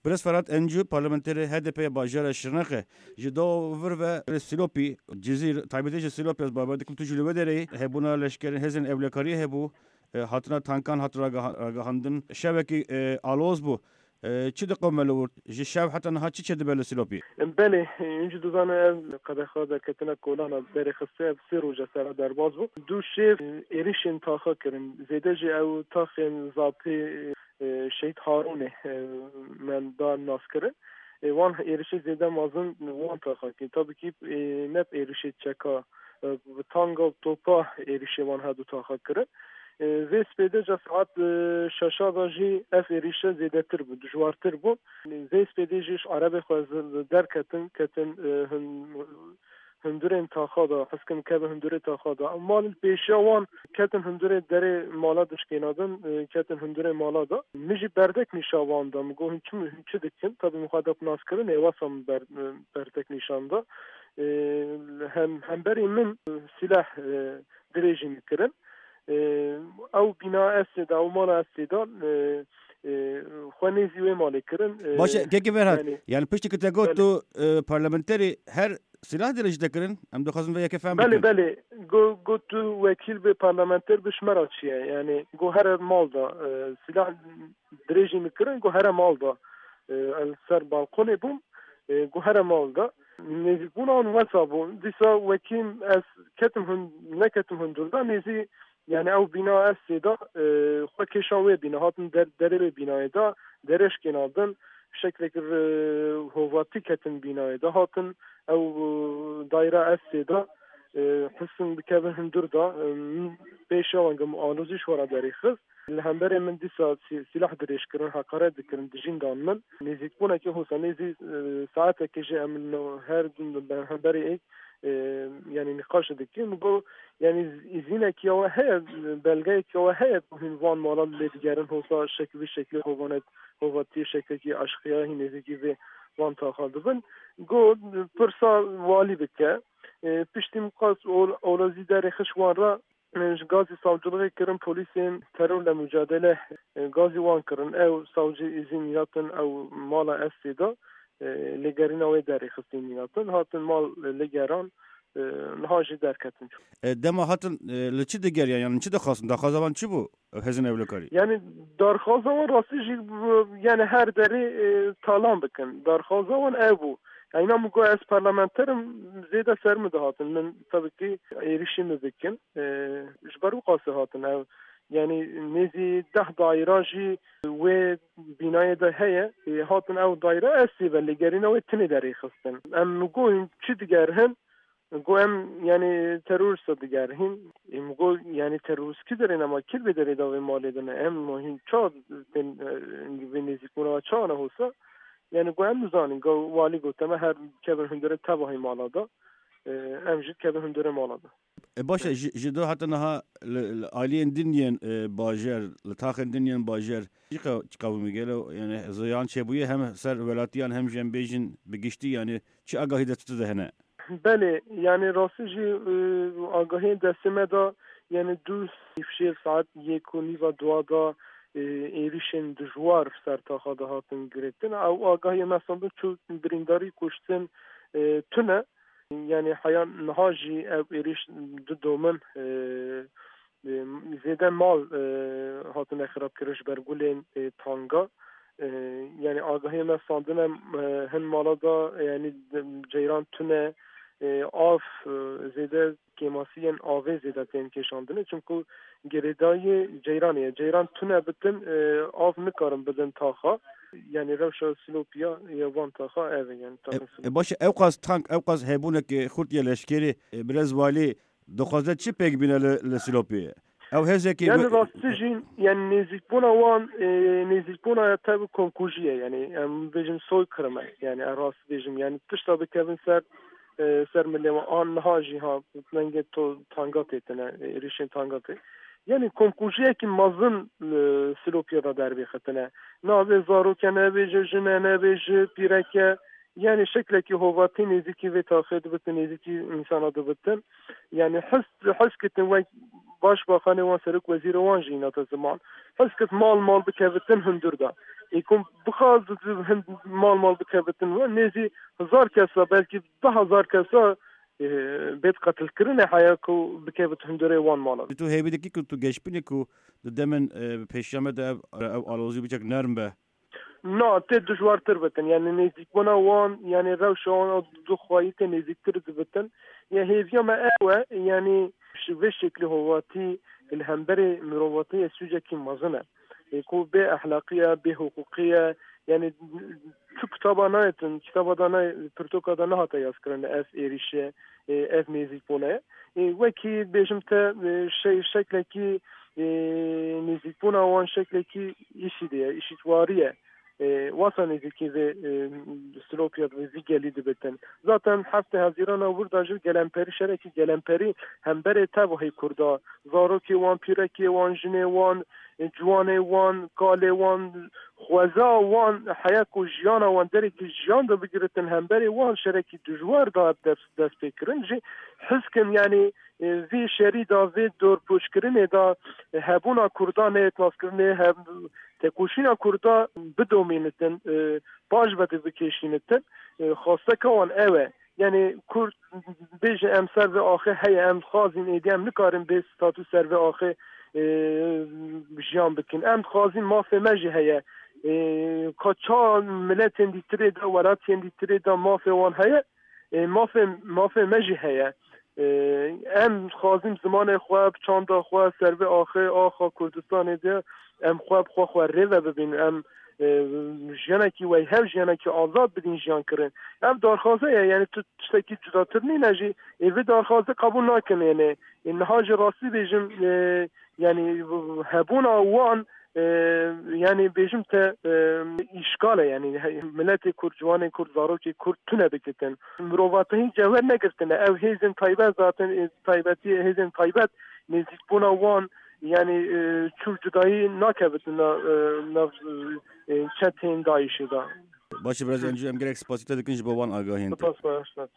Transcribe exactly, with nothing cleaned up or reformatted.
Birêz Ferhat Encû, parlamenterê H D P ya bajara Şirnexê, ji do vir ve Silopî, Cizîr, taybetî ji Silopî ez bawer dikim tu jî li wê derê yî, hebûna leşkerên hêzên ewlekariyê hebû, e, hatina tankan hat ragiha-, ragihandin. Şevekî, e, aloz bû. E, çi diqewime li wir? Ji şev heta niha çi çêdibe li Silopî? Belê, hûn jî dizane ev qedexa derketina kolana derê xiste, ev sê roj e sera derbas bû. Du şev, e, êrişên taxa kirin. Zêde jî ew taxên zapê, e, Şehîd Harûnê, e, me da naskirin. E, wan êrişê zêde mezin wan taxa kirin. Tabî kî, e, ne bi êrişê çeka, e, bi tanga û topa êrişê wan hedu taxa kirin. E, vê spêde ca saet, e, şeşa da jî ev êrişe zêdetir bû, dijwartir bû. Vê spêdê jî ji erebê xwe z-, derketin, ketin, e, hin-, hundurên taxa da, hizkin kevin hundurê taxa da. Malên pêşiya wan ketin hundurê derê mala dişkênadin, e, ketin hundurê mala da. Min jî berdek nîşa wan da, min got, hûn çi, hûn çi dikin? Tabî min xwe da bi naskirinê, wesa min ber-, berdek nîşan da. E, hem, hemberî min, e, sîleh, e, dirêjî min kirin. E, ew bîna ez tê de, ew mala ez tê de, e, e, xwe nêzî wê malê kirin. E, Baş e, kekê Ferhat, yani, yani piştî ku te got Belê. tu, e, parlamenterî her silah dirêj te kirin, em dixwazin vê yekê fehm Belê, bikin. belê. Go, go tu wekîl bê, parlamenter bi, ji me re çi ye? Yani, go here mal da, e, silah dirêjî min kirin, go here mal da, e, ez ser balkonê bûm, e, go here mal da. Nêzîkbûna wan wesa bû. Dîsa wekî ez ketim hun-, neketim hundur da, nêzî, yani ew bîna ez tê de, e, xwe kêşan wê bîna, hatin der-, derê wê bînayê de, derê şkênandin, şeklek, e, hovatî ketin bînayê de, hatin ew, e, daîra ez tê de, e, hisin bikevin hundur da, e, min pêşiya wan gim alozî ji xwe re derêxist. Li hemberê min dîsa sî-, sîlah dirêj kirin, heqaret dikirin, dijîn dan min. Nêzîkbûnekî hosa nêzî, e, saetekê jî em li her du li hemberê êk, e, yani nîqaş dikin. Min got, yani îzînekî ya we heye, belgeyekî ya we heye ku hûn van mala lê digerin, hosa şekil vî şeklê hovanet, hovatiyê şeklekî eşqiya hîn nêzîkî vê van taxa dibin. Got, pirsa walî bike. E, piştî min qas ol-, olozî derêxist wan re, e, ji gazî savciliğê kirin polîsên terorle mücadele, e, gazî wan kirin. Ew savcî îzîn yatin, ew mala ez tê de, e, lêgerîna wê derêxistîn yatin. Hatin mal, e, lêgeran, e, niha jî derketin. E, dema hatin, e, li çi digeriyan, yani çi dixwastin? Daxwaza wan çi bû? Hêzên ewlekarî. Yani darxwaza wan rastî jî, yani her derê, e, talan bikin. Darxwaza wan ev bû. Yani îna min got ez parlamenter im, zêde ser min dihatin. Min tabii ki êrişî min bikin. E, ji ber wî qasî hatin ev. Yani nêzî deh daîra jî wê bînayê de heye. E, hatin ew daîra ez sê ve lêgerîna wê tinê derêxistin. Em min got hûn çi digerhin? Got em, yani, terorista digerihîn. Ê, min got, yani, terorist kî derê ne, ma kî bê derê da vê malê de ne? Em ma hîn ça tên, e, vê nêzîkbûna çawa ne hosa? Yani, got em nizanin. Got, walî got, em her kevin hundirê tevahî mala da. E, em jî kevin hundirê mala da. E, baş e, ji, ji do heta niha li, li aliyên din yên, e, bajêr, li taxên din yên bajêr, çi qe-, çi qewimî gelo, yani, ziyan çêbûye hem ser welatiyan hem jî em bêjin bi giştî, yani, çi agahî destê te de hene? Belê, yani rastî jî, e, agahiyên destê me de, yani du şev saet yek û nîva dua de, e, êrişên dijwar ser taxa de hatin girêtin. Ew agahiyê me sandin çû birîndarî kuştin, e, tune. Yani heya niha jî ev êrîş didomin, e, e, zêde mal, e, hatine xirabkirin ji ber gulên, e, tanga. E, yani agahiyê me standine, e, hin mala da, yani ceyran tune, e, av, e, zêde kêmasiyên avê zêde tên kêşandine. Çimku girêdayî ceyranê ye. Ceyran tune bitin, e, av nikarin bidin taxa. Yani rewşa Silopiya ya van taxa ev e, yani E, taxin e, Silopî. Baş e, ewqas tank, ewqas hebûneke xurt ya leşkerî, e, birêz walî, dixwaze çi pêk bîne li, li Silopiyê? Ew hêzekî Yani bi- rastî jî, yani nêzîkbûna wan, e, nêzîkbûna ya tev komkujî ye. Yani em bêjin soykırım e. Yani em rastî bêjim. Yani tişta bikevin ser, e, ser milê wan. An niha jî ha, lengê to tanga têtine, e, êrişên tanga tê. Yani komkujiyekî mezin, e, Silopiya da dervêxitine. Navê zaroke nebêje, jine nebêje, pîreke. Yani şeklekî hovatî nêzîkî vê taxê dibitin, nêzîkî însana dibitin. Yani hes, hes kitin wek Başbakanê wan, serokwezîrê wan jî hînate ziman. Hez kir mal mal bikevitin hundir de. Ê ku bixwaz hin-, mal mal bikevitin we nêzî hezar kesa, belkî du hezar kesa, e, bêt qetilkirinê heya ku bikevit hundirê wan malan. Tu hêvî dikî ku tu geş binî ku di demên, e, pêşiya me de ev, ev alozî biçek nerm be? Na, tê dijwartir bitin. Yani nêzîkbûna wan, yani rewşa wan a duxwayî tê nêzîktir dibitin. Ya hêviya me ew e, yani ji vê şeklî hovatî li hemberê mirovatiyê sûcekî mezin e. Ê ku bê ehlaqî ye, bê hiqûqî ye, yani tu kitaba nayêtin, kitaba da nayê, pirtoka da nehate yazkirin ev êrîşe, e, ev nêzîkbûne. E, wekî bêjim te, e, şey, şeklekî, e, nêzîkbûna wan şeklekî îşî de ye, îşîtwarî ye. E, wasa nêzîkî vê, e, silopiya vê, vî gelî dibitin. Zaten heftê Hezîrana wir de jî gelemperî, şerekî gelemperî hemberê tevahî Kurda, zarokê wan, pîrekê wan, jinê wan, e, ciwanê wan, kalê wan, xweza wan, heya ku jiyana wan derekî jiyan de bigiritin, hemberê wan şerekî dijwar da dest, dest pê kirin jî. Hizkin, yani, e, vî şerî da, vê dorpûçkirinê da, e, hebûna Kurda neyê naskirinê, heb-, tekoşîna Kurda bidomînitin, e, paş ve de bikêşînitin. E, xwesteka wan ew e. Yani Kurd bêje em ser vê axê heye, em dixwazin êdî em nikarin bê statû ser vê axê, e, jiyan bikin. Em dixwazin mafê me jî heye. E, ka ça miletên dîtirê de, welatiyên dîtirê de mafê wan heye, e, mafê, mafê me jî heye. E, em dixwazin zimanê xwe, bi çanda xwe, ser vê axê, axa Kurdistanê de em xwe bi xwe, xwe rê ve bibînin. Em, e, jiyanekî weyhev, jiyanekî azad bidin jiyan kirin. Ev darxaze ye, yani tu tiştekî cudatir nîne jî, ê vê darxazê qebûl nakin, yani, ê niha jî rastî bêjim, e, yani hebûna wan, e, yani bêjim te, e, îşkal e, yani he-, miletê Kurd, ciwanê Kurd, zarokê Kurd tune bikitin. Mirovatihî cewher negirtine. Ev hêzên taybet zaten, e, taybetî hêzên taybet nêzîkbûna wan, yani, e, çû cudayî nakevitin na, e, nav, e, çetên DAIŞê de. Baş e, birêz Encû, em gelek spasî te dikin ji bo wan agahiyên te. Spas, baş, spas.